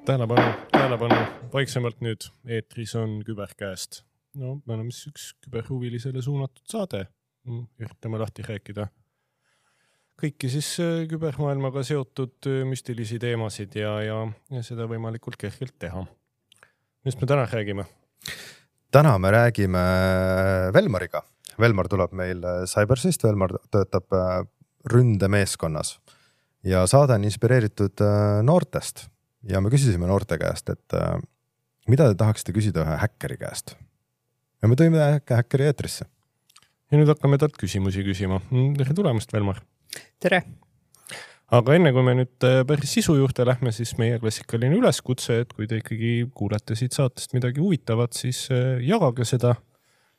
Tähelepanu, vaiksemalt nüüd. Eetris on Küberkäest. No, me oleme siis üks küberhuvilisele suunatud saade. Üritame lahti rääkida kõiki siis kübermaailmaga seotud müstilisi teemasid ja seda võimalikult kergelt teha. Mis me täna räägime? Täna me räägime Velmariga. Velmar tuleb meil Cybersist, Velmar töötab ründemeeskonnas ja saade on inspireeritud noortest ja me küsisime noorte käest, et mida te tahaksite küsida ühe häkkeri käest? Ja me tõime häkkeri eetrisse. Ja nüüd hakkame talt küsimusi küsima. Tere tulemast, Velmar! Tere! Aga enne kui me nüüd päris sisu juurde lähme, siis meie klassikaline üleskutse, et kui te ikkagi kuulete siit saatest midagi huvitavat, siis jagage seda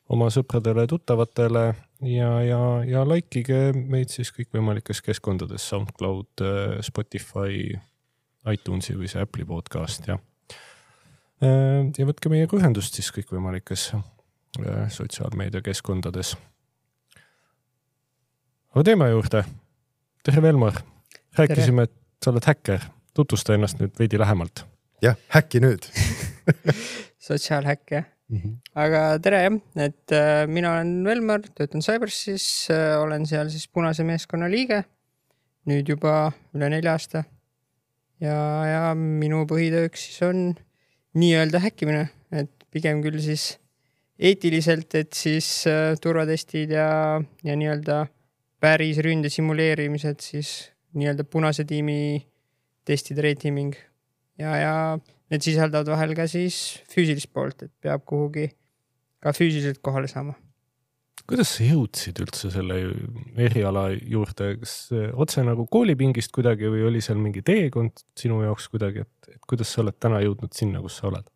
oma sõpradele, tuttavatele ja laikige meid siis kõikvõimalikes keskkondades, SoundCloud, Spotify, iTunesi või see Apple'i podcast ja võtke meiega ühendust siis kõikvõimalikes sotsiaalmeedia keskkondades. Aga teema juurde. Tere, Velmar! Rääkisime, et sa oled häkker. Tutvusta ennast nüüd veidi lähemalt. Jah, häkki nüüd. Sotsiaalhäkke. Aga tere jah, et mina olen Velmar, töötan Cybersis, olen seal siis punase meeskonna liige, nüüd juba üle 4 aasta. Ja minu põhitööks siis on nii-öelda häkkimine, et pigem küll siis eetiliselt, et siis turvatestid ja nii-öelda päris ründe simuleerimised, siis nii-öelda punase tiimi testid, rateaming ja need sisaldavad vahel ka siis füüsilist poolt, et peab kuhugi ka füüsiliselt kohale saama. Kuidas sa jõudsid üldse selle eriala juurde? Kas otse nagu koolipingist kuidagi või oli seal mingi teekond sinu jaoks kuidagi, et kuidas sa oled täna jõudnud sinna, kus sa oled?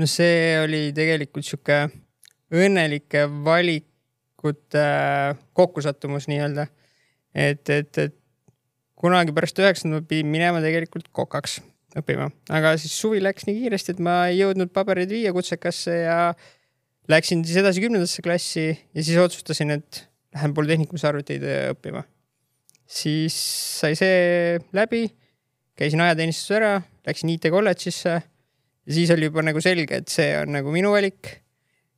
No see oli tegelikult siuke õnnelike valikute kokkusattumus nii-öelda. Et kunagi pärast 9. ma pidin minema tegelikult kokaks õppima. Aga siis suvi läks nii kiiresti, et ma ei jõudnud paberid viia kutsekasse ja läksin siis edasi 10. klassi ja siis otsustasin, et lähen polütehnikumis arvuteid õppima. Siis sai see läbi, käisin ajateenistus ära, läksin IT kolledžisse ja siis oli juba nagu selge, et see on nagu minu valik.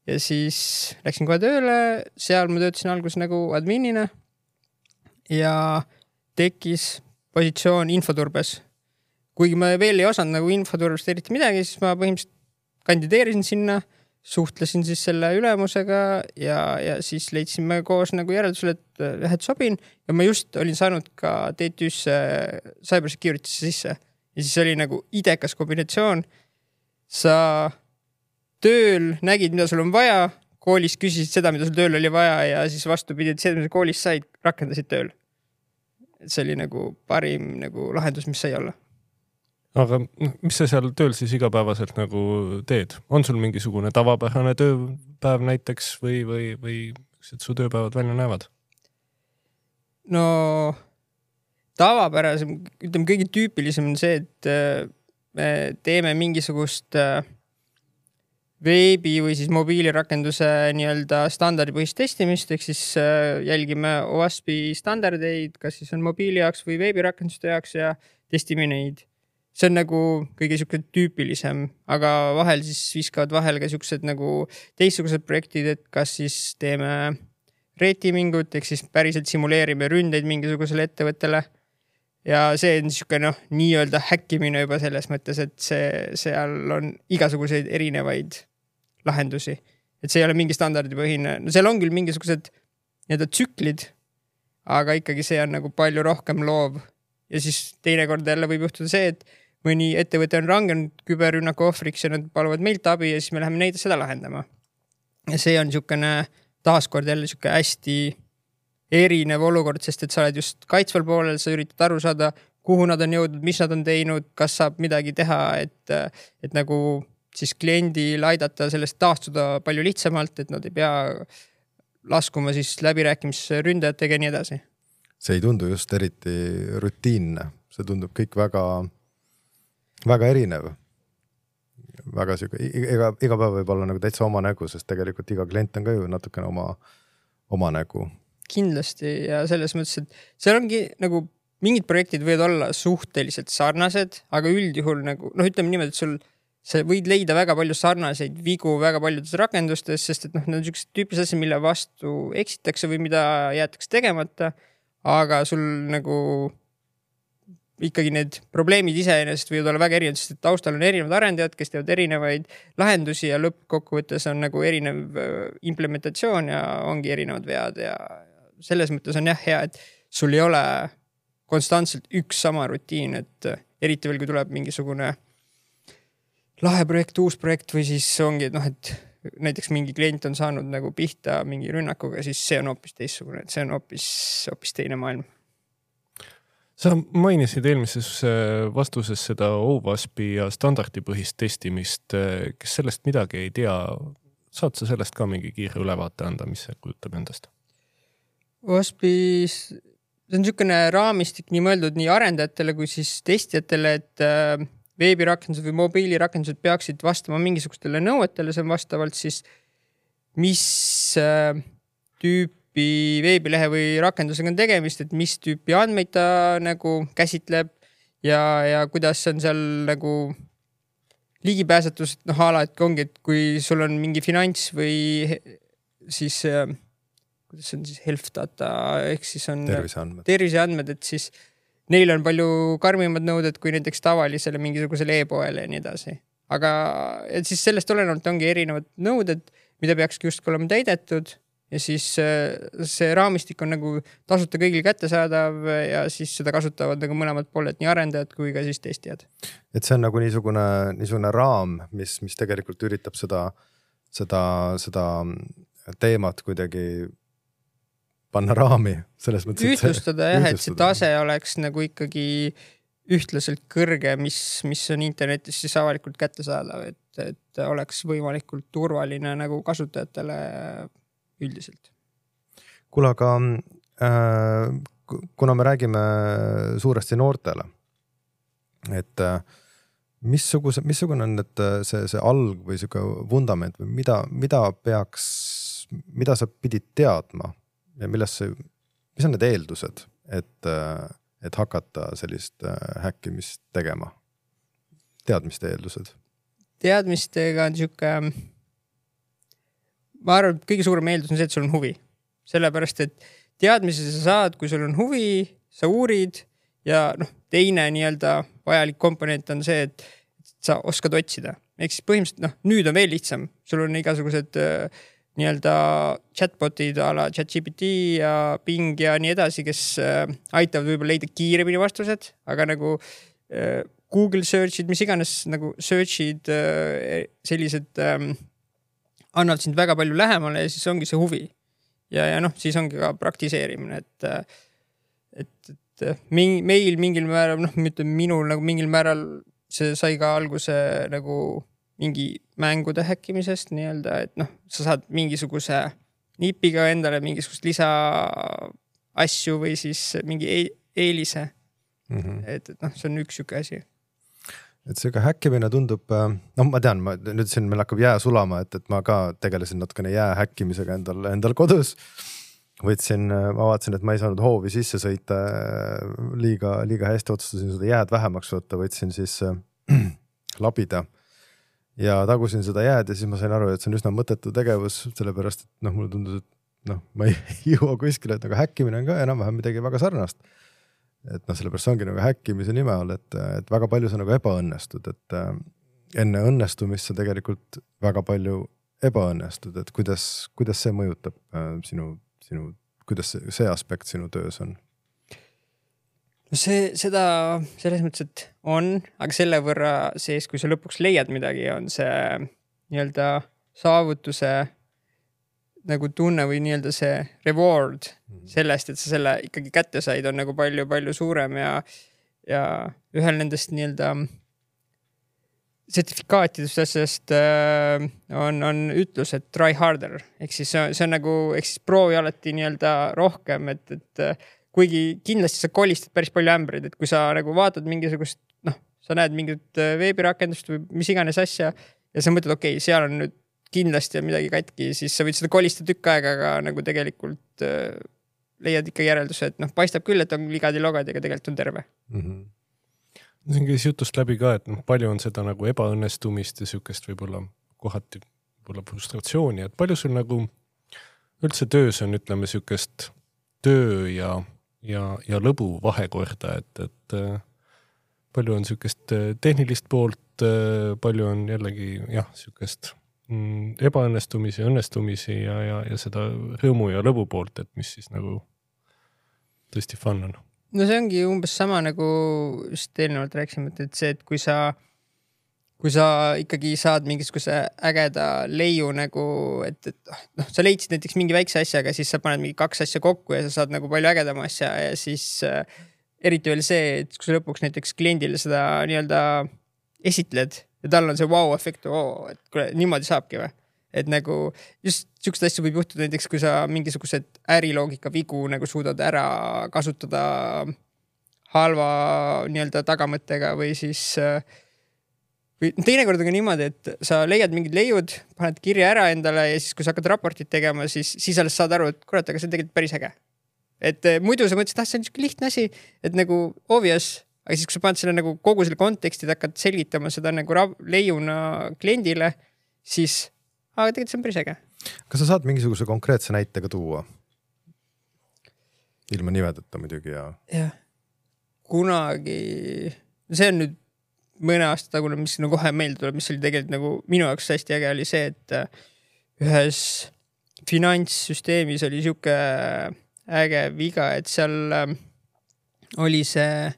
Ja siis läksin kohe tööle, seal ma töötasin alguses nagu adminina ja tekkis positsioon infoturbes. Kuigi ma veel ei osanud nagu infoturbest eriti midagi, siis ma põhimõtteliselt kandideerisin sinna, suhtlesin siis selle ülemusega ja siis leidsime koos nagu järeldusele, et sobin ja ma just olin saanud ka TTÜ-sse cybersecurity'sse sisse. Ja siis oli nagu idekas kombinatsioon. Sa tööl nägid, mida sul on vaja, koolis küsisid seda, mida sul tööl oli vaja ja siis vastupidi, et see, mida koolis said, rakendasid tööl. Et see oli nagu parim nagu lahendus, mis sai olla. Aga mis sa seal tööl siis igapäevaselt nagu teed? On sul mingisugune tavapärane tööpäev näiteks või et su tööpäevad välja näevad? No tavapärasem, ütleme kõige tüüpilisem on see, et me teeme mingisugust veebi või siis mobiilirakenduse nii-öelda standardipõhist testimist, ehk siis jälgime OWASP-i standardeid, kas siis on mobiili jaoks või veebirakenduste jaoks ja testime neid. See on nagu kõige siuke tüüpilisem, aga vahel siis viskavad vahel ka siuksed nagu teistsugused projektid, et kas siis teeme rateamingut, ehk siis päriselt simuleerime ründeid mingisugusele ettevõttele. Ja see on siuke nii-öelda häkkimine juba selles mõttes, et seal on igasuguseid erinevaid lahendusi. Et see ei ole mingi standardipõhine. No seal on küll mingisugused nii-öelda tsüklid, aga ikkagi see on nagu palju rohkem loov. Ja siis teinekord jälle võib juhtuda see, et mõni ettevõte on rangenud küberrünnaku ohvriks ja nad paluvad meilt abi ja siis me läheme neid seda lahendama. Ja see on siukene taaskord jälle siuke hästi erinev olukord, sest et sa oled just kaitsval poolel, sa üritad aru saada, kuhu nad on jõudnud, mis nad on teinud, kas saab midagi teha, et nagu siis kliendil aidata sellest taastuda palju lihtsamalt, et nad ei pea laskuma siis läbirääkimisse ründajatega ja nii edasi. See ei tundu just eriti rutiinne. See tundub kõik väga, väga erinev. Väga siuke, iga päev võib olla nagu täitsa oma nägu, sest tegelikult iga klient on ka ju natukene oma nägu. Kindlasti ja selles mõttes, et seal ongi nagu mingid projektid võivad olla suhteliselt sarnased, aga üldjuhul nagu, noh, ütleme niimoodi, et sa võid leida väga palju sarnaseid vigu väga paljudes rakendustes, sest et noh, need on sellised tüüpis asjad, mille vastu eksitakse või mida jäetakse tegemata, aga sul nagu ikkagi need probleemid iseenesest võivad olla väga erinevad, sest et taustal on erinevad arendajad, kes teevad erinevaid lahendusi ja lõppkokkuvõttes on nagu erinev implementatsioon ja ongi erinevad vead ja selles mõttes on jah hea, et sul ei ole konstantselt üks sama rutiin, et eriti veel, kui tuleb mingisugune lahe projekt, uus projekt või siis ongi, et noh, et näiteks mingi klient on saanud nagu pihta mingi rünnakuga, siis see on hoopis teistsugune, et see on hoopis teine maailm. Sa mainisid eelmises vastuses seda OWASP-i ja standardipõhist testimist, kes sellest midagi ei tea. Saad sa sellest ka mingi kiire ülevaate anda, mis see kujutab endast? OWASP-is see on niisugune raamistik nii mõeldud nii arendajatele kui siis testijatele, et veebirakendused või mobiilirakendused peaksid vastama mingisugustele nõuetele, see on vastavalt siis mis tüüpi veebilehe või rakendusega on tegemist, et mis tüüpi andmeid ta nagu käsitleb ja kuidas on seal nagu ligipääsetus, noh ala, et ongi, et kui sul on mingi finants või siis kuidas on siis health data, ehk siis on terviseandmed, et siis neil on palju karmimad nõuded kui näiteks tavalisele mingisugusele e-poele ja nii edasi. Aga et siis sellest olenevalt ongi erinevad nõuded, mida peakski just olema täidetud ja siis see raamistik on nagu tasuta kõigil kättesaadav ja siis seda kasutavad nagu mõlemad pooled, nii arendajad kui ka siis testijad. Et see on nagu niisugune raam, mis tegelikult üritab seda teemat kuidagi panna raami selles mõttes. Ühtlustada jah, et see tase oleks nagu ikkagi ühtlaselt kõrge, mis on internetis siis avalikult kättesaadav, et oleks võimalikult turvaline nagu kasutajatele üldiselt. Kuule, aga kuna me räägime suuresti noortele, et missugune on see alg või vundament või mida sa pidid teadma ja mis on need eeldused, et hakata sellist häkkimist tegema? Teadmiste eeldused? Teadmistega on niisugune, ma arvan, et kõige suurem eeldus on see, et sul on huvi. Sellepärast, et teadmisi sa saad, kui sul on huvi, sa uurid ja teine nii-öelda vajalik komponent on see, et sa oskad otsida. Ehk siis põhimõtteliselt, nüüd on veel lihtsam. Sul on igasugused nii-öelda chatbotid ala ChatGPT ja Bing ja nii edasi, kes aitavad võib-olla leida kiiremini vastused, aga nagu Google searchid, mis iganes nagu searchid sellised annavad sind väga palju lähemale ja siis ongi see huvi. Ja siis ongi ka praktiseerimine, et meil mingil määral, minul nagu mingil määral see sai ka alguse nagu mingi mängude häkkimisest nii-öelda, et sa saad mingisuguse nipiga endale mingisugust lisa asju või siis mingi eelise. Et see on üks siuke asi. Et see ka häkkimine tundub, ma tean, nüüd siin meil hakkab jää sulama, et ma ka tegelesin natukene jää häkkimisega endal kodus. Ma vaatasin, et ma ei saanud hoovi sisse sõita liiga hästi, otsustasin seda jääd vähemaks võtta, võtsin siis labida ja tagusin seda jääd ja siis ma sain aru, et see on üsna mõttetu tegevus, sellepärast, et mulle tundus, et ma ei jõua kuskile, et aga häkkimine on ka enam-vähem midagi väga sarnast. Et sellepärast see ongi nagu häkkimise nime all, et väga palju sa nagu ebaõnnestud, et enne õnnestumist sa tegelikult väga palju ebaõnnestud, et kuidas see mõjutab kuidas see aspekt sinu töös on? Seda selles mõttes, et on, aga selle võrra sees, kui sa lõpuks leiad midagi, on see nii-öelda saavutuse nagu tunne või nii-öelda see reward sellest, et sa selle ikkagi kätte said, on nagu palju suurem ja ühel nendest nii-öelda sertifikaatidest asjast on ütlus, et try harder. Ehk siis see on nagu, ehk siis proovi alati nii-öelda rohkem, et kuigi kindlasti sa kolistad päris palju ämbreid, et kui sa nagu vaatad mingisugust, sa näed mingit veebirakendust või mis iganes asja ja sa mõtled, okei, seal on nüüd kindlasti on midagi katki, siis sa võid seda kolistada tükk aega, aga nagu tegelikult leiad ikka järelduse, et noh, paistab küll, et on ligadi-logadi, aga tegelikult on terve. Siin käis jutust läbi ka, et palju on seda nagu ebaõnnestumist ja sükest võib-olla kohati võib-olla frustratsiooni, et palju sul nagu üldse töös on, ütleme, sükest töö ja lõbu vahekorda, et palju on sükest tehnilist poolt, palju on jällegi sükest ebaõnnestumisi, õnnestumisi ja seda rõõmu ja lõbu poolt, et mis siis nagu tõesti fun on. No see ongi umbes sama nagu just eelnevalt rääkisime, et see, et kui sa ikkagi saad mingisuguse ägeda leiu nagu, et noh, sa leidsid näiteks mingi väikse asjaga, siis sa paned mingi 2 asja kokku ja sa saad nagu palju ägedama asja ja siis eriti veel see, et kui sa lõpuks näiteks kliendile seda nii-öelda esitled ja tal on see wow-efekt, et kuule, niimoodi saabki või. Et nagu just sükst asju võib juhtuda näiteks, kui sa mingisugused äriloogika vigu nagu suudad ära kasutada halva nii-öelda tagamõttega või siis või teinekord on ka niimoodi, et sa leiad mingid leiud, paned kirja ära endale ja siis kui sa hakkad raportit tegema, siis alles saad aru, et kurat, aga see on tegelikult päris äge. Et muidu sa mõtlesid, see on niisugune lihtne asi, et nagu obvious, aga siis kui sa paned selle nagu kogu selle konteksti, hakkad selgitama seda nagu leiuna kliendile, siis aga tegelikult see on päris äge. Kas sa saad mingisuguse konkreetse näitega tuua? Ilma nimedata muidugi ja... Jah. Kunagi, see on nüüd mõne aasta tagune, mis nagu kohe meelde tuleb, mis oli tegelikult nagu minu jaoks hästi äge oli see, et ühes finantssüsteemis oli siuke äge viga, et seal oli see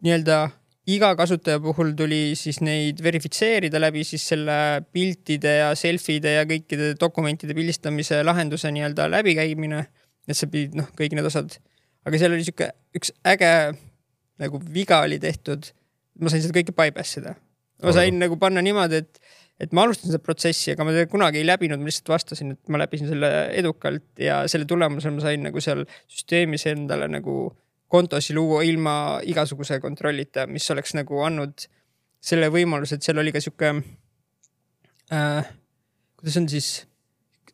nii-öelda iga kasutaja puhul tuli siis neid verifitseerida läbi siis selle piltide ja selfide ja kõikide dokumentide pildistamise lahenduse nii-öelda läbikäimine, et sa pidid kõik need osad. Aga seal oli siuke üks äge nagu viga oli tehtud, ma sain seda kõike bypassida. Ma sain nagu panna niimoodi, et ma alustasin seda protsessi, aga ma kunagi ei läbinud, ma lihtsalt vastasin, et ma läbisin selle edukalt ja selle tulemusel ma sain nagu seal süsteemis endale nagu kontosi luua ilma igasuguse kontrollita, mis oleks nagu andnud selle võimaluse, et seal oli ka siuke kuidas on siis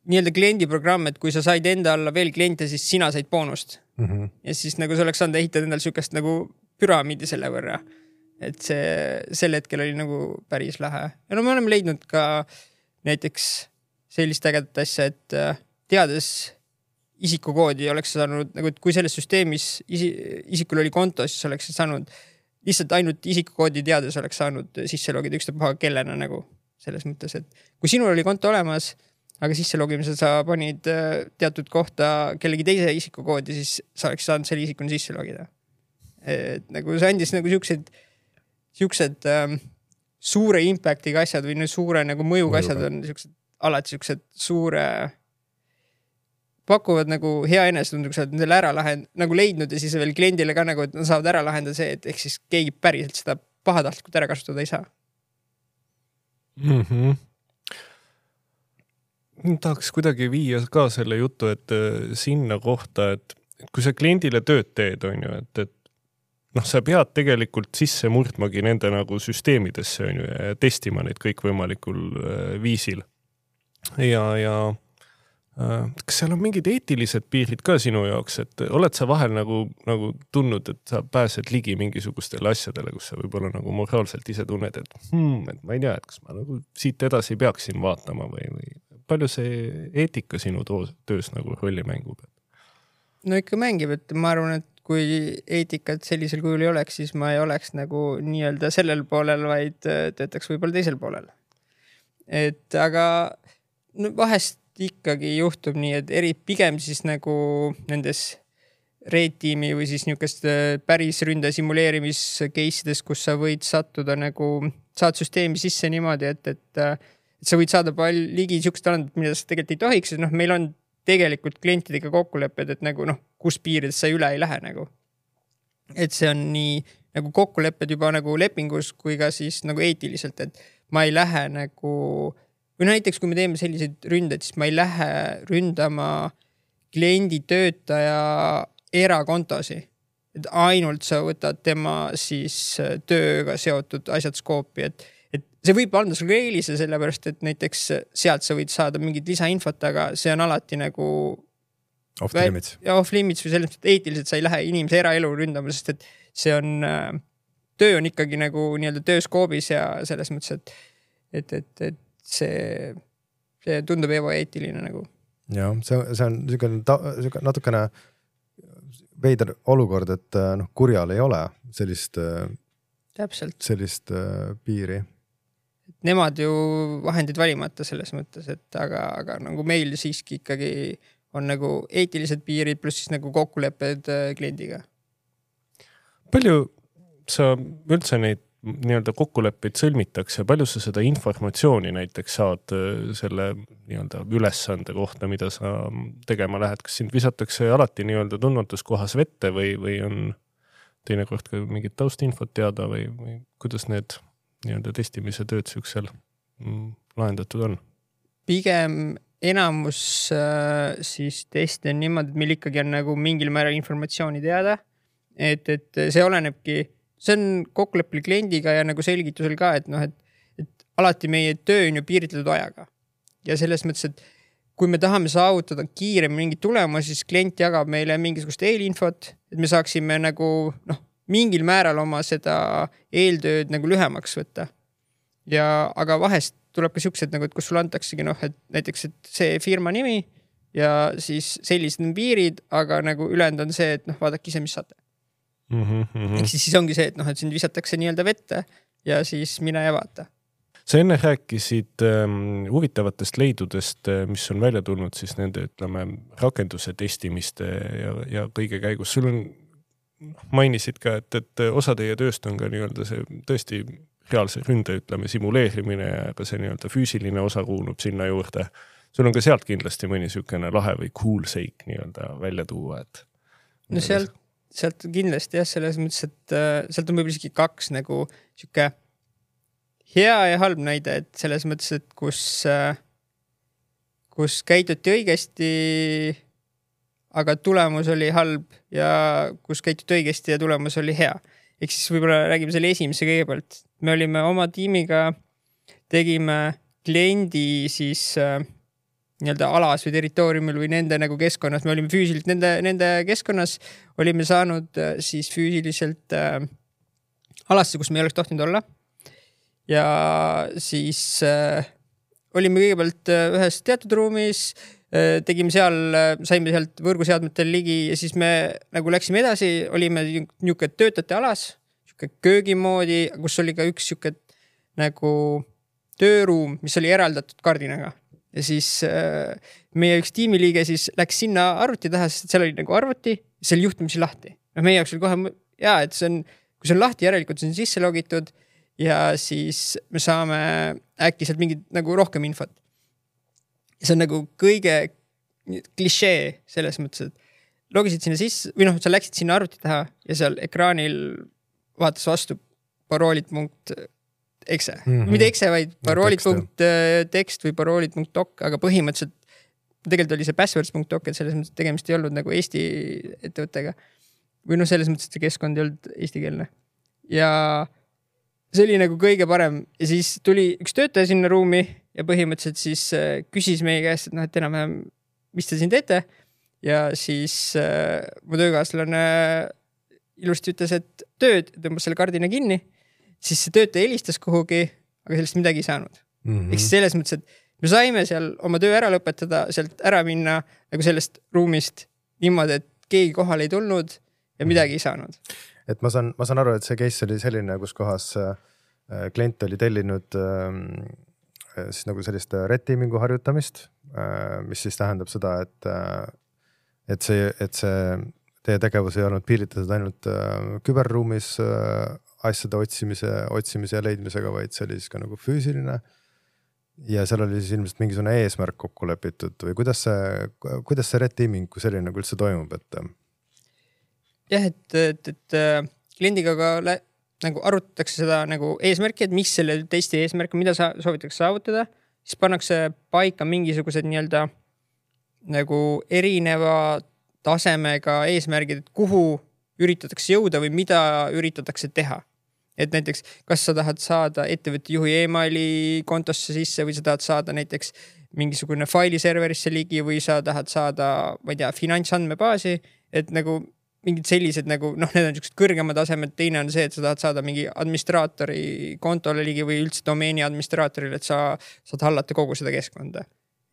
nii-öelda kliendiprogramm, et kui sa said enda alla veel kliente, siis sina said boonust. Ja siis nagu see oleks saanud ehitada endal siukest nagu püramiidi selle võrra. Et sel hetkel oli nagu päris lähe. Ja no me oleme leidnud ka näiteks sellist ägedat asja, et teades isikukoodi oleks saanud, nagu, et kui selles süsteemis isikul oli konto, siis oleks saanud lihtsalt ainult isikukoodi teades oleks saanud sisse logida ükstapuha kellena nagu selles mõttes, et kui sinul oli konto olemas, aga sisse logimisel sa panid teatud kohta kellegi teise isikukoodi, siis sa oleks saanud selle isikuni sisse logida. Et nagu see andis nagu siuksed suure impactiga asjad või suure nagu mõjuga asjad on alati siuksed suure pakuvad nagu hea enesetundu, kui sa oled nendele ära nagu leidnud ja siis veel kliendile ka nagu, et nad saavad ära lahendada see, et ehk siis keegi päriselt seda pahatahtlikult ära kasutada ei saa. Tahaks kuidagi viia ka selle jutu, et sinna kohta, et kui sa kliendile tööd teed, on ju, et sa pead tegelikult sisse murdmagi nende nagu süsteemidesse, on ju, ja testima neid kõik võimalikul viisil. Ja kas seal on mingid eetilised piirid ka sinu jaoks, et oled sa vahel nagu tundnud, et sa pääsed ligi mingisugustele asjadele, kus sa võib-olla nagu moraalselt ise tunned, et ma ei tea, et kas ma nagu siit edasi peaksin vaatama või palju see eetika sinu töös nagu rolli mängub? No ikka mängib, et ma arvan, et kui eetikat sellisel kujul ei oleks, siis ma ei oleks nagu nii-öelda sellel poolel, vaid töötaks võib-olla teisel poolel. Et aga vahest ikkagi juhtub nii, et pigem siis nagu nendes Red-tiimi või siis niisugust päris ründe simuleerimiskeisides, kus sa võid sattuda nagu, saad süsteemi sisse niimoodi, et sa võid saada ligi niisugust talendat, mida sa tegelikult ei tohiks, et meil on tegelikult klientidega kokkulepped, et nagu kus piirides sa üle ei lähe nagu. Et see on nii nagu kokkulepped juba nagu lepingus kui ka siis nagu eetiliselt, et ma ei lähe nagu või näiteks, kui me teeme selliseid ründed, siis ma ei lähe ründama kliendi töötaja erakontosi. Et ainult sa võtad tema siis tööga seotud asjad skoopi. Et see võib anda sulle eelise sellepärast, et näiteks sealt sa võid saada mingit lisainfot, aga see on alati nagu Off the limits. Ja off limits või selles mõttes, et eetiliselt sa ei lähe inimese eraelu ründama, sest et see on, töö on ikkagi nagu nii-öelda tööskoobis ja selles mõttes, et see tundub ebaeetiline nagu. Jah, see on natukene veider olukord, et kurjal ei ole sellist piiri. Nemad ju vahendid valimata selles mõttes, et aga nagu meil siiski ikkagi on nagu eetilised piirid pluss siis nagu kokkulepped kliendiga. Palju sa üldse neid nii-öelda kokkuleppeid sõlmitakse, palju sa seda informatsiooni näiteks saad selle nii-öelda ülesande kohta, mida sa tegema lähed, kas sind visatakse alati nii-öelda tundmatus kohas vette või on teinekord ka mingit taustinfot teada või kuidas need nii-öelda testimise tööd süksel lahendatud on? Pigem enamus siis teste on niimoodi, et meil ikkagi on nagu mingil määral informatsiooni teada, et see olenebki. See on kokkuleppel kliendiga ja nagu selgitusel ka, et alati meie töö on ju piiritletud ajaga. Ja selles mõttes, et kui me tahame saavutada kiirem mingi tulemus, siis klient jagab meile mingisugust eelinfot, et me saaksime nagu mingil määral oma seda eeltööd nagu lühemaks võtta. Aga vahest tuleb ka siuksed, nagu, et kus sul antaksegi, et näiteks et see firma nimi ja siis sellised piirid, aga nagu ülejäänud on see, et vaadake ise, mis saate. Ehk siis ongi see, et sind visatakse nii-öelda vette ja siis mine ja vaata. Sa enne rääkisid huvitavatest leidudest, mis on välja tulnud siis nende, ütleme, rakenduse testimiste ja kõige käigus. Sul on, mainisid ka, et osa teie tööst on ka nii-öelda see tõesti reaalse ründe, ütleme, simuleerimine ja ka see nii-öelda füüsiline osa kuulub sinna juurde. Sul on ka sealt kindlasti mõni sükene lahe või cool seik nii-öelda välja tuua, et no sealt kindlasti jah, selles mõttes, et sealt on võib-olla isegi kaks nagu siuke hea ja halb näide, et selles mõttes, et kus käituti õigesti, aga tulemus oli halb ja kus käituti õigesti ja tulemus oli hea. Ehk siis võib-olla räägime selle esimese kõigepealt. Me olime oma tiimiga, tegime kliendi siis nii-öelda alas või territooriumil või nende nagu keskkonnas. Me olime füüsiliselt nende keskkonnas, olime saanud siis füüsiliselt alasse, kus me ei oleks tohtinud olla. Ja siis olime kõigepealt ühes teatud ruumis, tegime seal, saime sealt võrguseadmetel ligi ja siis me nagu läksime edasi, olime niisugune töötajate alas, niisugune köögimoodi, kus oli ka üks niisugune nagu tööruum, mis oli eraldatud kardinaga. Ja siis meie üks tiimiliige siis läks sinna arvuti taha, sest seal oli nagu arvuti, see oli juhtumisi lahti. Meie jaoks oli kohe, et see on, kui see on lahti, järelikult see on sisse logitud ja siis me saame äkki sealt mingit nagu rohkem infot. See on nagu kõige klišee selles mõttes, et logisid sinna sisse või sa läksid sinna arvuti taha ja seal ekraanil vaatas vastu paroolit.exe. Mitte exe, vaid paroolit.text või paroolit.doc, aga põhimõtteliselt tegelikult oli see passwords.doc, et selles mõttes tegemist ei olnud nagu Eesti ettevõttega. Või selles mõttes, et see keskkond ei olnud eestikeelne. Ja see oli nagu kõige parem. Ja siis tuli üks töötaja sinna ruumi ja põhimõtteliselt siis küsis meie käest, et enam-vähem, mis te siin teete? Ja siis mu töökaaslane ilusti ütles, et tööd, tõmbas selle kardina kinni, siis see töötaja helistas kuhugi, aga sellest midagi ei saanud. Ehk selles mõttes, et me saime seal oma töö ära lõpetada, sealt ära minna nagu sellest ruumist niimoodi, et keegi kohal ei tulnud ja midagi ei saanud. Et ma saan aru, et see case oli selline, kus kohas klient oli tellinud siis nagu sellist red teamingu harjutamist, mis siis tähendab seda, et see teie tegevus ei olnud piiritletud ainult küberruumis asjade otsimise ja leidmisega, vaid see oli siis ka nagu füüsiline. Ja seal oli siis ilmselt mingisugune eesmärk kokku lepitud või kuidas see red teaming kui selline nagu üldse toimub? Jah, et kliendiga ka nagu arutatakse seda nagu eesmärki, et mis selle testi eesmärk, mida soovitakse saavutada, siis pannakse paika mingisugused nii-öelda nagu erineva tasemega eesmärgid, et kuhu üritatakse jõuda või mida üritatakse teha. et näiteks kas sa tahad saada ettevõtte juhi emaili kontosse sisse või sa tahad saada näiteks mingisugune failiserverisse ligi või sa tahad saada, ma ei tea, finantsandmebaasi, et nagu mingid sellised nagu, noh, need on niisugused kõrgemad tasemed, teine on see, et sa tahad saada mingi administraatori kontole ligi või üldse domeeni administraatorile, et sa saad hallata kogu seda keskkonda.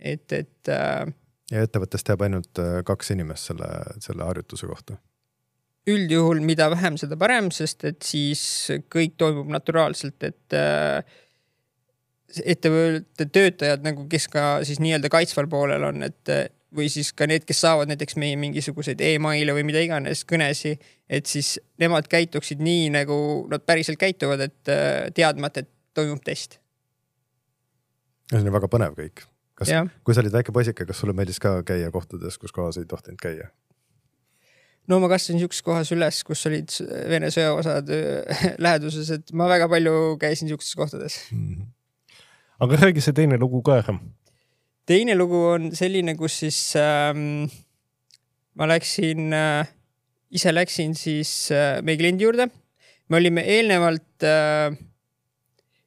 Ja ettevõttest jääb ainult 2 inimest selle harjutuse kohta? Üldjuhul mida vähem, seda parem, sest et siis kõik toimub naturaalselt, et ettevõtte töötajad, nagu kes ka siis nii-öelda kaitsval poolel on, et või siis ka need, kes saavad näiteks meie mingisuguseid e-maile või mida iganes kõnesi, et siis nemad käituksid nii, nagu nad päriselt käituvad, et teadmata, et toimub test. See on väga põnev kõik. Kui sa olid väike poisike, kas sulle meeldis ka käia kohtades, kus kohas ei tohtinud käia? No ma kasvasin niisuguses kohas üles, kus olid Vene sõjaosad läheduses, et ma väga palju käisin niisuguses kohtades. Aga räägi see teine lugu ka ära. Teine lugu on selline, kus siis ma ise läksin siis meie kliendi juurde. Me olime eelnevalt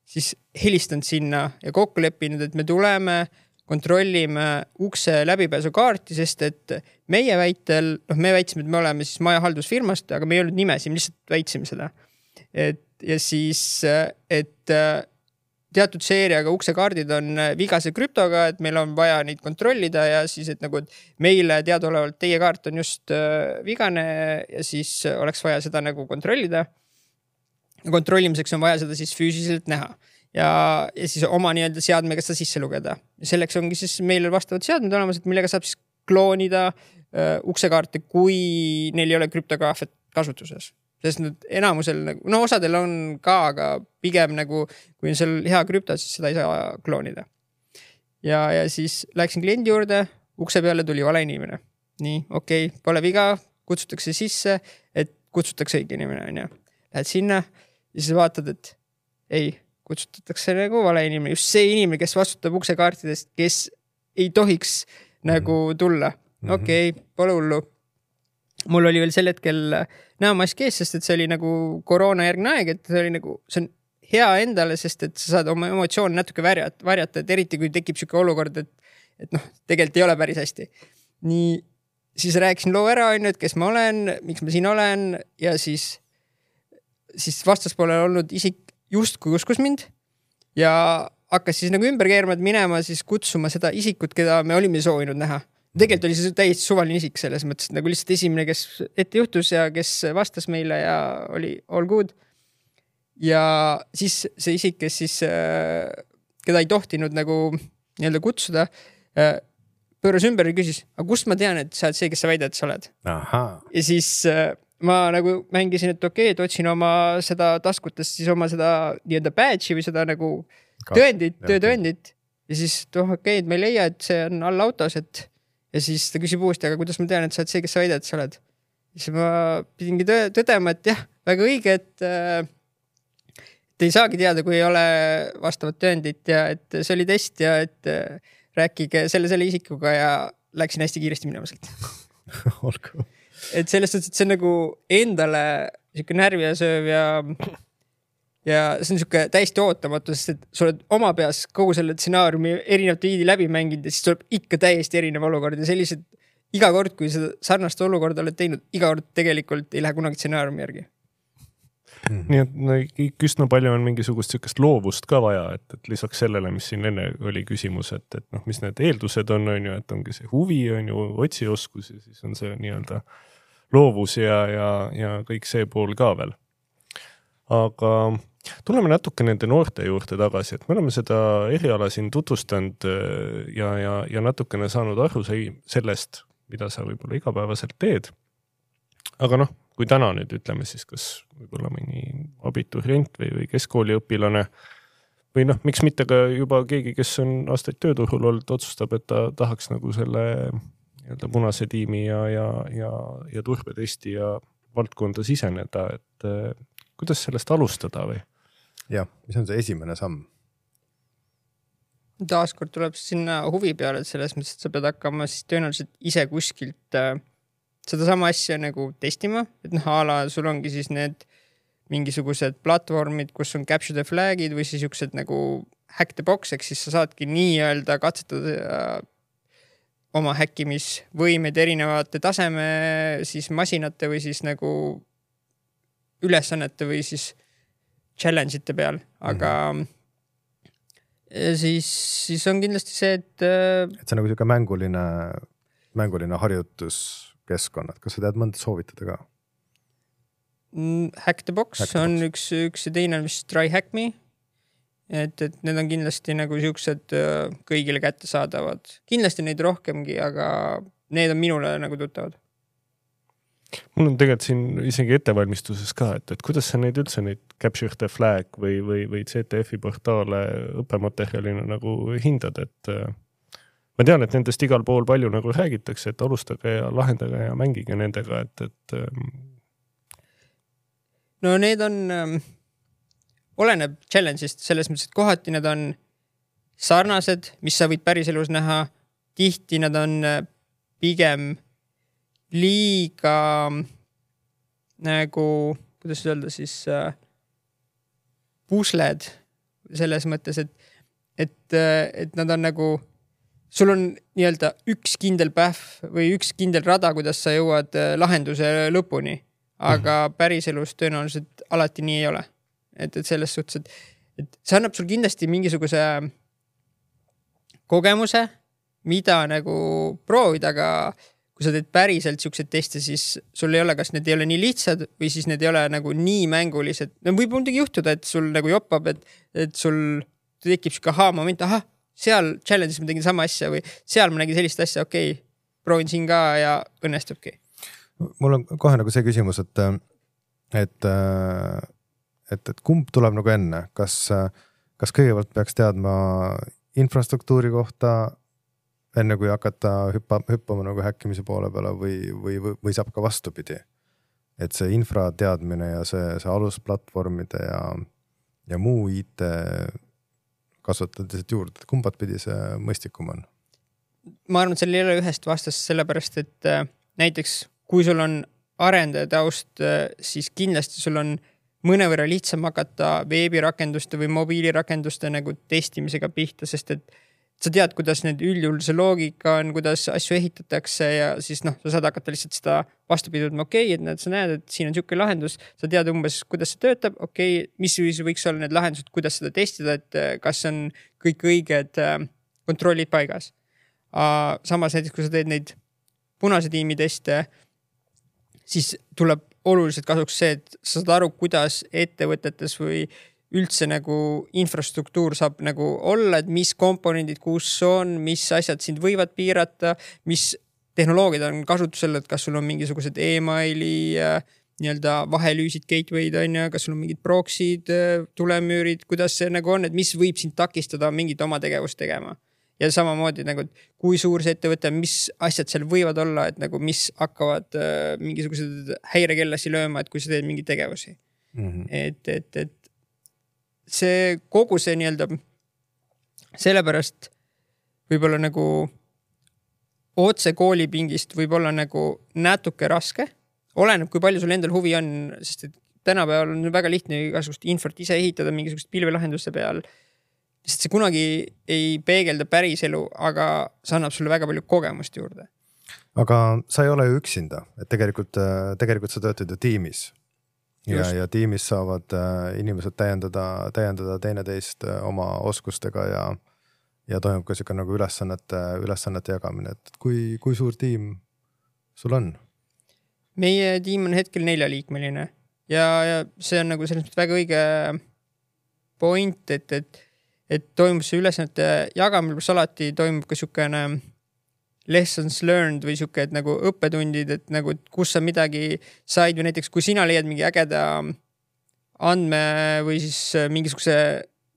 siis helistanud sinna ja kokku leppinud, et me tuleme, kontrollime ukse läbipääsukaarti, sest et meie väitel, me väitsime, et me oleme siis majahaldusfirmast, aga me ei olnud nimesi, me lihtsalt väitsime seda. Ja siis, et teatud seeriaga uksekaardid on vigase krüptoga, et meil on vaja neid kontrollida ja siis, et nagu et meile teadaolevalt teie kaart on just vigane ja siis oleks vaja seda nagu kontrollida. Kontrollimiseks on vaja seda siis füüsiliselt näha ja siis oma nii-öelda seadmega seda sisse lugeda. Ja selleks ongi siis meil vastavad seadmed olemas, et millega saab siis kloonida uksekaarte, kui neil ei ole krüptograafet kasutuses. Sest nüüd enamusel, no osadel on ka, aga pigem nagu, kui on seal hea krüpto, siis seda ei saa kloonida. Ja siis läksin kliendi juurde, ukse peale tuli vale inimene. Nii, okei, pole viga, kutsutakse sisse, et kutsutakse õige inimene. On ja. Lähed sinna ja siis vaatad, et ei, kutsutatakse nagu vale inimene. Just see inimene, kes vastutab uksekaartidest, kes ei tohiks nagu tulla. Okei, pole hullu. Mul oli veel sel hetkel näomask ees, sest et see oli nagu koroonajärgne aeg, et see oli nagu, see on hea endale, sest et sa saad oma emotsioone natuke varjata, et eriti kui tekib selline olukord, et noh, tegelikult ei ole päris hästi. Nii, siis rääkisin loo ära, et kes ma olen, miks ma siin olen ja siis vastaspoolel olnud isik justkui uskus mind ja hakkas siis nagu ümber keerma, et minema siis kutsuma seda isikut, keda me olime soovinud näha. Tegelikult oli see täiesti suvaline isik selles mõttes, nagu lihtsalt esimene, kes ette juhtus ja kes vastas meile ja oli all good. Ja siis see isik, kes siis, keda ei tohtinud nagu nii-öelda kutsuda, pööras ümber ja küsis, aga kust ma tean, et sa oled see, kes sa väidad, et sa oled? Aha. Ja siis ma nagu mängisin, et okei, et otsin oma seda taskutest siis oma seda nii-öelda badge'i või seda nagu töötõendit. Ja siis okei, et ma ei leia, et see on all autos, et ja siis ta küsib uuesti, aga kuidas ma tean, et sa oled see, kes sa väidad, et sa oled. Ja siis ma pidingi tõdema, et jah, väga õige, et ei saagi teada, kui ei ole vastavat tõendit ja et see oli test ja et rääkige selle isikuga ja läksin hästi kiiresti minema sealt. Olgu. Et sellest, et see on nagu endale niisugune närvi ja sööv ja see on niisugune täiesti ootamatu, sest et sa oled oma peas kogu selle stsenaariumi erinevate viidi läbi mänginud ja siis tuleb ikka täiesti erinev olukord ja sellised iga kord, kui seda sarnast olukorda oled teinud, iga kord tegelikult ei lähe kunagi stsenaariumi järgi. Nii et üsna palju on mingisugust sellist loovust ka vaja, et lisaks sellele, mis siin enne oli küsimus, et noh, mis need eeldused on ju, et ongi see huvi, on ju, otsioskus ja siis on see nii-öelda loovus ja kõik see pool ka veel. Aga tuleme natuke nende noorte juurde tagasi, et me oleme seda eriala siin tutvustanud ja natukene saanud aru sellest, mida sa võib-olla igapäevaselt teed. Aga noh, kui täna nüüd ütleme siis, kas võib-olla mõni abiturient või keskkooliõpilane või noh, miks mitte ka juba keegi, kes on aastaid tööturul olnud, otsustab, et ta tahaks nagu selle nii-öelda punase tiimi ja turbetesti ja valdkonda siseneda, et kuidas sellest alustada või? Jah, mis on see esimene samm? Taaskord tuleb sinna huvi peale, et selles mõttes, et sa pead hakkama siis tõenäoliselt ise kuskilt seda sama asja nagu testima, et noh, ala sul ongi siis need mingisugused platvormid, kus on capture the flag'id või siis niisugused nagu hack the box, ehk siis sa saadki nii-öelda katsetada oma häkkimisvõimed erinevate taseme siis masinate või siis nagu ülesannete või siis challenge ite peal, aga siis on kindlasti see, et see on nagu siuke mänguline harjutuskeskkonnad. Kas sa tead mõnda soovitada ka? Hack the box on üks ja teine on vist Try Hack Me. Et need on kindlasti nagu siuksed kõigile kätte saadavad. Kindlasti neid rohkemgi, aga need on minule nagu tuttavad. Mul on tegelikult siin isegi ettevalmistuses ka, et kuidas sa neid üldse neid Capture the Flag või CTF-i portaale õppematerjalina nagu hindad, et ma tean, et nendest igal pool palju nagu räägitakse, et alustage ja lahendage ja mängige nendega, et no need on oleneb challenge'ist selles mõttes, et kohati need on sarnased, mis sa võid päriselus näha. Tihti nad on pigem liiga nagu, kuidas öelda siis, pusled selles mõttes, et nad on nagu, sul on nii-öelda üks kindel pähv või üks kindel rada, kuidas sa jõuad lahenduse lõpuni, aga päriselus tõenäoliselt alati nii ei ole. Et selles suhtes, et see annab sul kindlasti mingisuguse kogemuse, mida nagu proovida, aga kui sa teed päriselt siuksed teste, siis sul ei ole, kas need ei ole nii lihtsad või siis need ei ole nagu nii mängulised. No võib muidugi juhtuda, et sul nagu joppab, et sul tekib siuke moment, seal challenge'is ma tegin sama asja või seal ma nägin sellist asja, okei, proovin siin ka ja õnnestubki. Mul on kohe nagu see küsimus, et kumb tuleb nagu enne, kas kõigepealt peaks teadma infrastruktuuri kohta enne kui hakata hüppama nagu häkkimise poole peale või saab ka vastupidi, et see infra teadmine ja see alusplatvormide ja muu IT kasvatades juurde, kumbat pidi see mõistikum on? Ma arvan, et seal ei ole ühest vastast sellepärast, et näiteks kui sul on arendaja taust, siis kindlasti sul on mõnevõrra lihtsam hakata veebirakenduste või mobiilirakenduste nagu testimisega pihta, sest et sa tead, kuidas need üldjuhul see loogika on, kuidas asju ehitatakse ja siis sa saad hakata lihtsalt seda vastupidudma, et sa näed, et siin on siuke lahendus, sa tead umbes, kuidas see töötab, mis võiks olla need lahendused, kuidas seda testida, et kas on kõik õiged kontrollid paigas. Samas näiteks, kui sa teed neid punase tiimi teste, siis tuleb oluliselt kasuks see, et sa saad aru, kuidas ettevõtetes või üldse nagu infrastruktuur saab nagu olla, et mis komponendid kus on, mis asjad sind võivad piirata, mis tehnoloogiad on kasutusel, et kas sul on mingisugused emaili nii-öelda vahelüüsid, gateway'd on ja kas sul on mingid proxy'd, tulemüürid, kuidas see nagu on, et mis võib sind takistada mingit oma tegevust tegema. Ja samamoodi nagu, kui suur see ettevõte, mis asjad seal võivad olla, et nagu mis hakkavad mingisugused häirekellasi lööma, et kui sa teed mingi tegevusi. Et see kogu see nii-öelda sellepärast võib-olla nagu otse koolipingist võib-olla nagu natuke raske. Oleneb, kui palju sul endal huvi on, sest et tänapäeval on väga lihtne igasugust infot ise ehitada mingisugust pilvelahenduste peal. Sest see kunagi ei peegelda päris elu, aga see annab sulle väga palju kogemust juurde. Aga sa ei ole ju üksinda, et tegelikult sa töötad ju tiimis. Ja tiimis saavad inimesed täiendada teineteist oma oskustega ja toimub ka siuke nagu ülesannete jagamine. Et kui suur tiim sul on? Meie tiim on hetkel 4-liikmeline ja see on nagu selles mõttes väga õige point, et toimub see ülesannete jagamine, pluss alati toimub ka siukene lessons learned või siuke, et nagu õppetundid, et nagu kus sa midagi said või näiteks kui sina leiad mingi ägeda andme või siis mingisuguse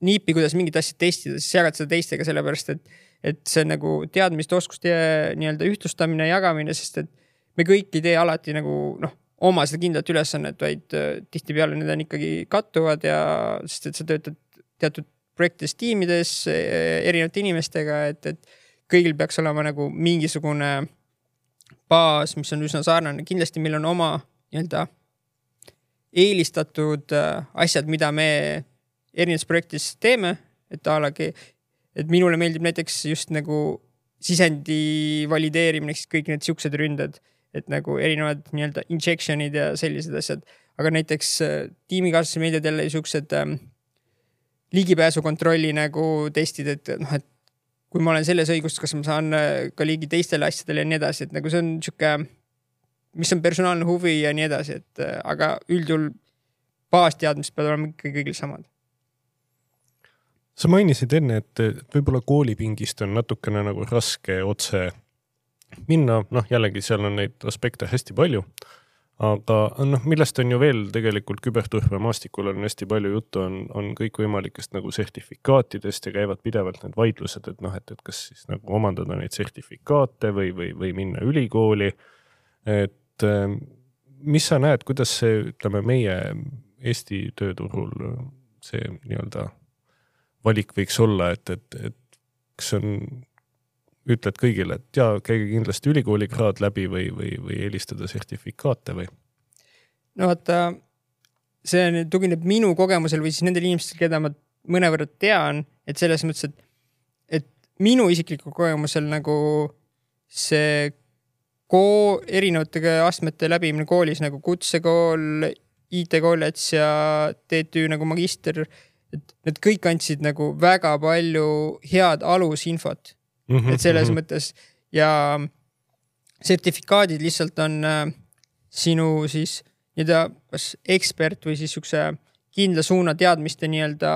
niipi, kuidas mingit asja testida, siis jagad seda teistega sellepärast, et see on nagu teadmiste oskuste nii-öelda ühtlustamine ja jagamine, sest et me kõik ei tee alati nagu oma seda kindlat ülesannet, vaid tihtipeale need on ikkagi kattuvad ja sest et sa töötad teatud projektides, tiimides, erinevate inimestega, et kõigil peaks olema nagu mingisugune baas, mis on üsna sarnane. Kindlasti meil on oma nii-öelda eelistatud asjad, mida me erinevates projektis teeme, et minule meeldib näiteks just nagu sisendi valideerimine, kõik need siuksed ründed, et nagu erinevad nii-öelda injection'id ja sellised asjad, aga näiteks tiimikaaslase meediad jälle siuksed ligipääsukontrolli nagu testid, et noh, et kui ma olen selles õigustus, kas ma saan ka ligi teistele asjadele ja nii edasi, et nagu see on siuke, mis on personaalne huvi ja nii edasi, et aga üldjuhul baasteadmised peavad olema ikka kõigil samad. Sa mainisid enne, et võib-olla koolipingist on natukene nagu raske otse minna, noh jällegi seal on neid aspekte hästi palju, aga noh, millest on ju veel tegelikult küberturbe maastikul on hästi palju juttu, on kõikvõimalikest nagu sertifikaatidest ja käivad pidevalt need vaidlused, et noh, et kas siis nagu omandada neid sertifikaate või minna ülikooli, et mis sa näed, kuidas see, ütleme, meie Eesti tööturul see nii-öelda valik võiks olla, et kas on, ütled kõigile, et jaa, käige kindlasti ülikoolikraad läbi või eelistada sertifikaate või? No vaata, see tugineb minu kogemusel või siis nendel inimestel, keda ma mõnevõrra tean, et selles mõttes, et minu isikliku kogemusel nagu see erinevate astmete läbimine koolis nagu kutsekool, IT-kollets ja TTÜ nagu magister, et need kõik andsid nagu väga palju head alusinfot, et selles mõttes ja sertifikaadid lihtsalt on sinu siis nii-öelda kas ekspert või siis üks kindla suuna teadmiste nii-öelda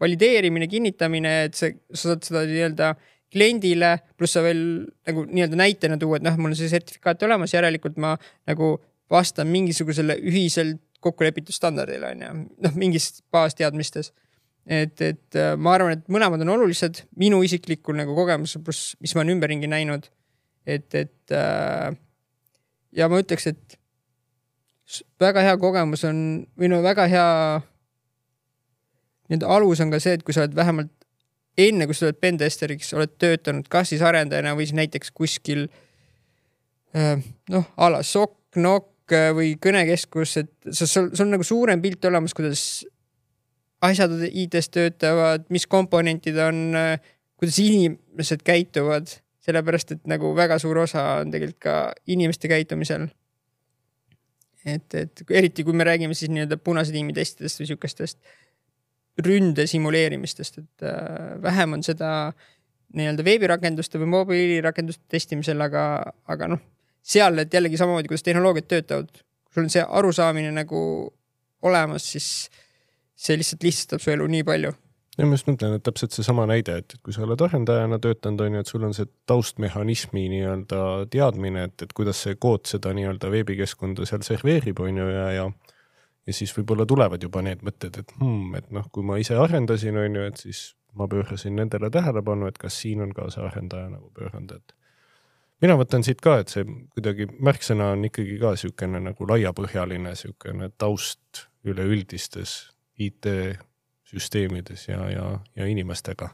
valideerimine, kinnitamine, et sa saad seda nii-öelda kliendile, pluss sa veel nagu nii-öelda näitena tuua, et noh, mul on see sertifikaat olemas, järelikult ma nagu vastan mingisugusele ühiselt kokkulepitud standardile, noh, mingis baasteadmistes. Et ma arvan, et mõlemad on olulised minu isiklikul nagu kogemus, pluss mis ma olen ümberringi näinud, et ja ma ütleks, et väga hea kogemus on, või no väga hea nii-öelda alus on ka see, et kui sa oled vähemalt enne, kui sa oled pentesteriks, oled töötanud kas siis arendajana või siis näiteks kuskil noh, ala SOC, NOC või kõnekeskus, et sul on nagu suurem pilt olemas, kuidas asjad IT-s töötavad, mis komponentid on, kuidas inimesed käituvad, sellepärast, et nagu väga suur osa on tegelikult ka inimeste käitumisel. Et eriti kui me räägime siis nii-öelda punase tiimi testidest või siukestest ründe simuleerimistest, et vähem on seda nii-öelda veebirakenduste või mobiilirakenduste testimisel, aga noh, seal, et jällegi samamoodi, kuidas tehnoloogiad töötavad, kui sul on see arusaamine nagu olemas, siis see lihtsalt lihtsastab su elu nii palju. Ja ma just mõtlen, et täpselt see sama näide, et kui sa oled arendajana töötanud, on ju, et sul on see taustmehhanismi nii-öelda teadmine, et kuidas see kood seda nii-öelda veebikeskkonda seal serveerib, on ju, ja siis võib-olla tulevad juba need mõtted, et noh, kui ma ise arendasin, on ju, et siis ma pöörasin nendele tähelepanu, et kas siin on ka see arendaja nagu pööranud, et mina võtan siit ka, et see kuidagi märksõna on ikkagi ka siukene nagu laiapõhjaline siukene taust üleüldistes IT-süsteemides ja inimestega.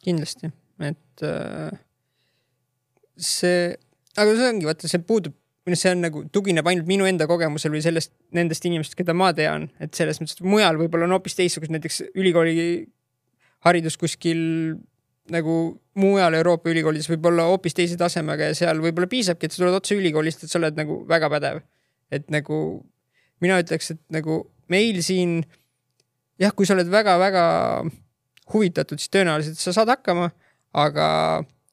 Kindlasti, et see, aga see ongi, vaata, see puudub, see on nagu tugineb ainult minu enda kogemusel või nendest inimestest, keda ma tean, et selles mõttes, et mujal võib-olla on hoopis teistsugust, näiteks ülikooli haridus kuskil nagu mujal Euroopa ülikoolides võib olla hoopis teise tasemega ja seal võib-olla piisabki, et sa tuled otse ülikoolist, et sa oled nagu väga pädev. Et nagu mina ütleks, et nagu meil siin, jah, kui sa oled väga-väga huvitatud, siis tõenäoliselt sa saad hakkama, aga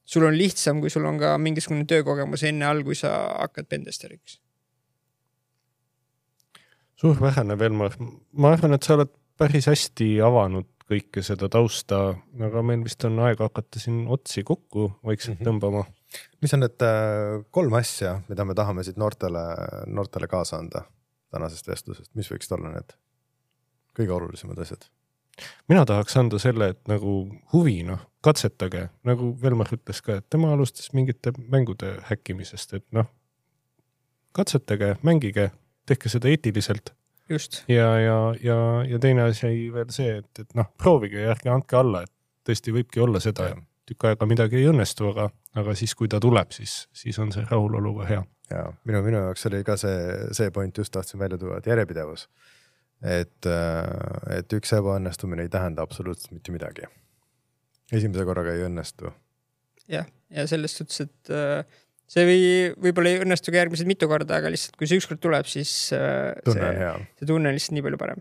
sul on lihtsam, kui sul on ka mingisugune töökogemus enne all, kui sa hakkad pentesteriks. Suur vähene, Velmar. Ma arvan, et sa oled päris hästi avanud kõike seda tausta, aga meil vist on aega hakata siin otsi kokku vaikselt tõmbama. Mis on need 3 asja, mida me tahame siit noortele kaasa anda tänasest vestlusest? Mis võiks olla need kõige olulisemad asjad? Mina tahaks anda selle, et nagu huvi, noh, katsetage, nagu Velmar ütles ka, et tema alustas mingite mängude häkkimisest, et noh, katsetage, mängige, tehke seda eetiliselt. Just. Ja teine asi veel see, et noh, proovige ja ärge andke alla, et tõesti võibki olla seda, et tükk aega midagi ei õnnestu, aga siis kui ta tuleb, siis on see rahulolu ka hea. ja minu jaoks oli ka see point just tahtsin välja tuua, et järjepidevus. Et üks ebaõnnestumine ei tähenda absoluutselt mitte midagi. Esimese korraga ei õnnestu. Ja selles suhtes, et see võib-olla ei õnnestu ka järgmised mitu korda, aga lihtsalt kui see ükskord tuleb, siis tunne on hea. See tunne on lihtsalt nii palju parem.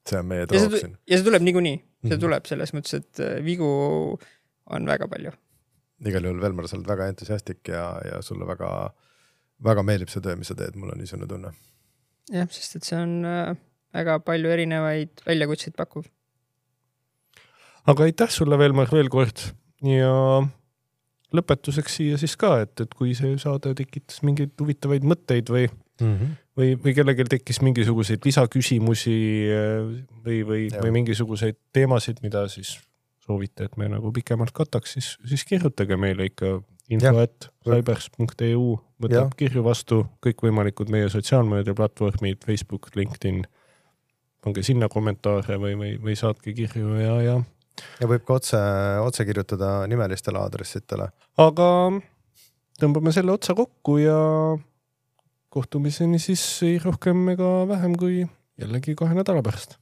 See on meie troop siin. Ja see tuleb niikuinii. See tuleb selles mõttes, et vigu on väga palju. Igal juhul Velmar, sa oled väga entusiastik ja sulle väga, väga meeldib see töö, mis sa teed, mul on niisugune tunne. Jah, sest et see on väga palju erinevaid väljakutseid pakkuv. Aga aitäh sulle, Velmar, veel kord ja lõpetuseks siia siis ka, et kui see saade tekitas mingeid huvitavaid mõtteid või kellelgi tekkis mingisuguseid lisaküsimusi või mingisuguseid teemasid, mida siis soovite, et me nagu pikemalt kataks, siis kirjutage meile ikka info@cybers.eu, võtab kirju vastu kõikvõimalikud meie sotsiaalmeediaplatvormid, Facebook, LinkedIn, pange sinna kommentaare või saatke kirju ja võib ka otse kirjutada nimelistele aadressitele. Aga tõmbame selle otsa kokku ja kohtumiseni siis ei rohkem ega vähem kui jällegi 2 nädala pärast.